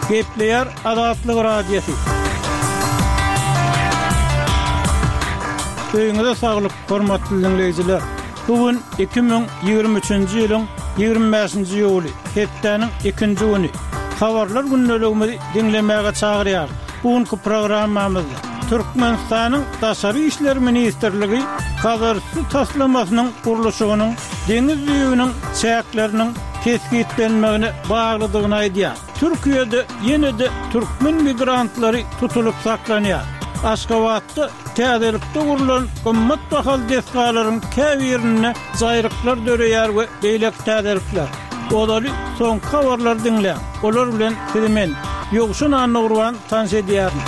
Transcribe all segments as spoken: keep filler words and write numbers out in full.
Gepleýär Azatlyk Radiosy. Öýüňize saglyk, hormatly diňleýjiler! Bu gün iki müň ýigrimi üçünji ýylyň ýigrimi bäşinji iýuly, hepdäniň ikinji güni. Habarlar gündeligimizi diňlemäge çagyrýarys. Bu günki programmamyzda Türkmenistanyň Daşary işler ministrligi Hazarüsti taslamasynyň gurluşygynyň deňiz düýbüniň çäkleriniň kesgitlenmegine baglydygyny aýdýar. Türkiýede ýene-de türkmen migrantlary tutulyp saklanýar. Aşgabatda täzelikde gurlan gymmat bahaly desgalaryň käbirinde jaýryklar döreýär we beýleki täzelikler. Ozaly soňky habarlary diňläň. Olar bilen sizi men, Ýowşan Annagurban tanyş edýärin.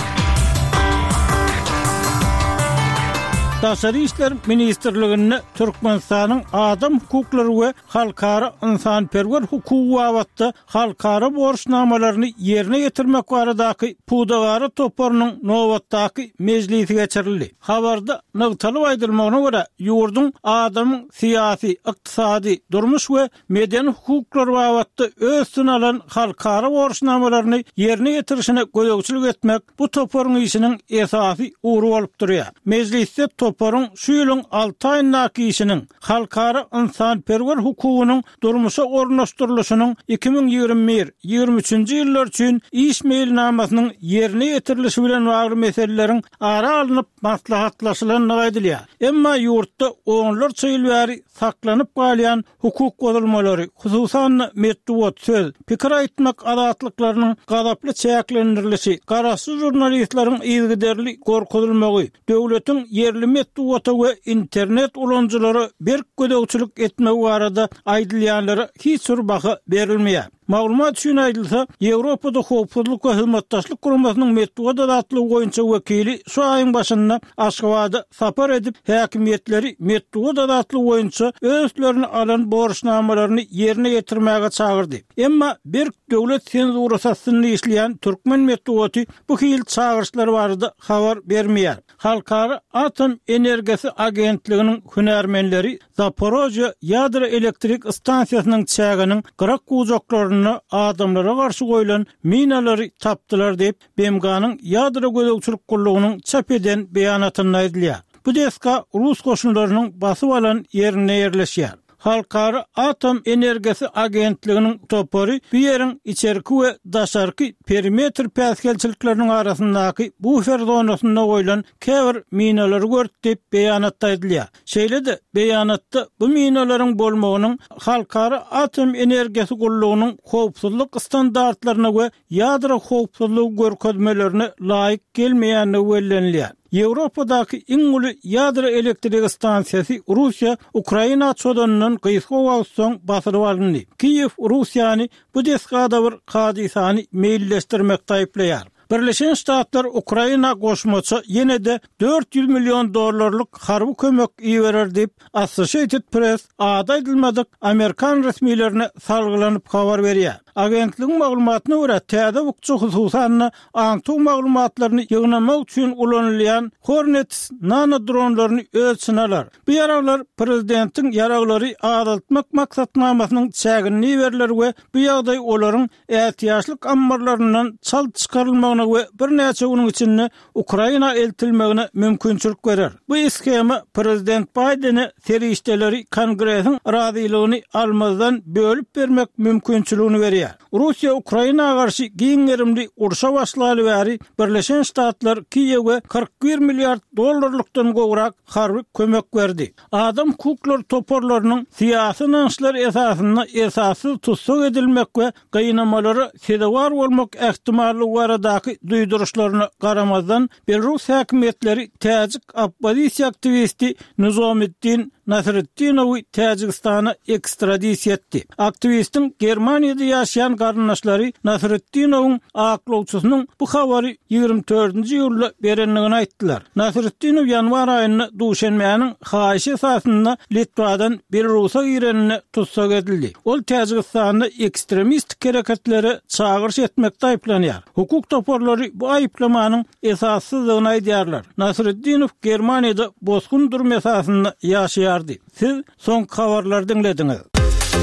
Daşary işler ministrliginde Türkmenistanyň adam hukuklary we halkara ynsanperwer hukugy babatda halkara borçnamalaryny ýerine ýetirmek baradaky pudagara toparynyň nobatdaky mejlisi geçirildi. Habarda nygtalyp aýdylmagyna görä, ýurduň adamyň syýasy, ykdysady, durmuş we medeni hukuklary babatda öz üstüne alan halkara borçnamalaryny ýerine ýetirişine gözegçilik etmek bu toparyň işiniň esasy ugry bolup durýar. Mejlisde toparyň şu ýylyň alty aýyndaky işiniň, halkara ynsanperwer hukugynyň durmuşa ornaşdyrylyşynyň iki müň ýigrimi bir, ýigrimi üçünji ýyllar üçin iş meýilnamasynyň ýerine ýetirilişi bilen bagly meseleleriň ara alnyp maslahatlaşylandygy aýdylýar. Emma ýurtda onlarça ýyl bäri saklanyp galýan hukuk bozulmalary, hususan-da, metbugat, söz, pikir aýtmak azatlyklarynyň gazaply çäklendirilişi, garaşsyz žurnalistleriň yzygiderli gorkuzylmagy, döwletiň ýerli metbugata we internet ulanyjylara berk gözegçilik etmegi barada aýdylýanlara hiç bir baha berilmeýär. Maglumat üçin aýdylsa, Ýewropada Howpsuzlyk we Hyzmatdaşlyk Guramasynyň metbugat azatlygy boýunça wekili şu aýyň başynda Aşgabada sapar edip, häkimiýetleri metbugat azatlygy boýunça öz üstlerine alan borçnamalaryny ýerine ýetirmäge çagyrdy. Emma berk döwlet senzurasy astynda işleýän türkmen metbugaty bu hili çagyryşlar barada habar bermeýär. Halkara atom energiýasy agentliginiň hünärmenleri Zaporožýe ýadro elektrik stansiýasynyň çäginiň gyrak-bujaklarynda adamlara garşy goýlan minalary tapdylar diýip, BMG-niň Ýadro gözegçilik gullugynyň çap eden beýanatynda aýdylýar. Bu desga rus goşunlarynyň basyp alan ýerinde ýerleşýär. Halkara atom energiýasy agentliginiň topary bu ýeriň içerki we daşarky perimetr päsgelçilikleriniň arasyndaky bufer zonasynda goýlan käbir minalary gördi diýip, beýanatda aýdylýar. Şeýle-de, beýanatda bu minalaryň bolmagynyň Halkara atom energiýasy gullugynyň howpsuzlyk standartlaryna we ýadro howpsuzlygy görkezmelerine laýyk gelmeýändigi bellenilýär. Ýewropadaky iň uly ýadro elektrik stansiýasy Russiýa Ukraina çozanyndan gysga wagt soň basylyp alyndy. Kiýew Russiýany bu desgada bir hadysany meýilleşdirmekde aýyplaýar. Birleşen Ştatlar Ukraina goşmaça ýene-de dört ýüz million dollarlyk harby kömek iberer diýip, Associated Press ady aýdylmadyk amerikan resmilerine salgylanyp habar berýär. Agentligiň maglumatyna görä, täze bukja hususan-da, aňtaw maglumatlaryny ýygnamak üçin ulanylýan Hornets nano dronlaryny öz içine alar. Bu ýaraglar prezidentiň ýaraglary azaltmak maksatnamasynyň çäginde iberiler we bu ýagdaý olaryň ätiýaçlyk ammarlaryndan çalt çykarylmagyna we birnäçe günüň içinde Ukraina eltilmegine mümkinçilik berer. Bu shema prezident Baýdene serişdeleri Kongresiň razylygyny almazdan bölüp bermek mümkinçiligini berýär. Russiýa Ukraina garşy giň gerimli urşa başlaly bäri Birleşen Ştatlar Kiýewe kyrk bir milliard dollarlykdan gowrak harby kömek berdi. Adam hukuklary toparlarynyň syýasy ynançlar esasynda esassyz tussag edilmek we gynamalara sezewar bolmak ähtimallygy baradaky duýduryşlaryna garamazdan, belarus häkimiýetleri täjik oppozisiýa aktiwisti Nizomiddin Nasretdinowy Täjigistana ekstradisiýa etdi. Aktiwistiň Germaniýada ýaşaýan garyndaşlary Nasretdinowyň aklawçysynyň bu habary ýigrimi dördünji iýulda berendigini aýtdylar. Nasretdinow ýanwar aýynda Duşenbäniň haýyşy esasynda Litwadan Belarusa gireninde tussag edildi. Ol Täjigistanda ekstremistik hereketlere çagyryş etmekde aýyplanýar. Hukuk toparlary bu aýyplamanyň esassyzdygyny aýdýarlar. Nasretdinow Germaniýada bosgun durum esasynda ýaşaýardy. Siz soňky habarlary diňlediňiz.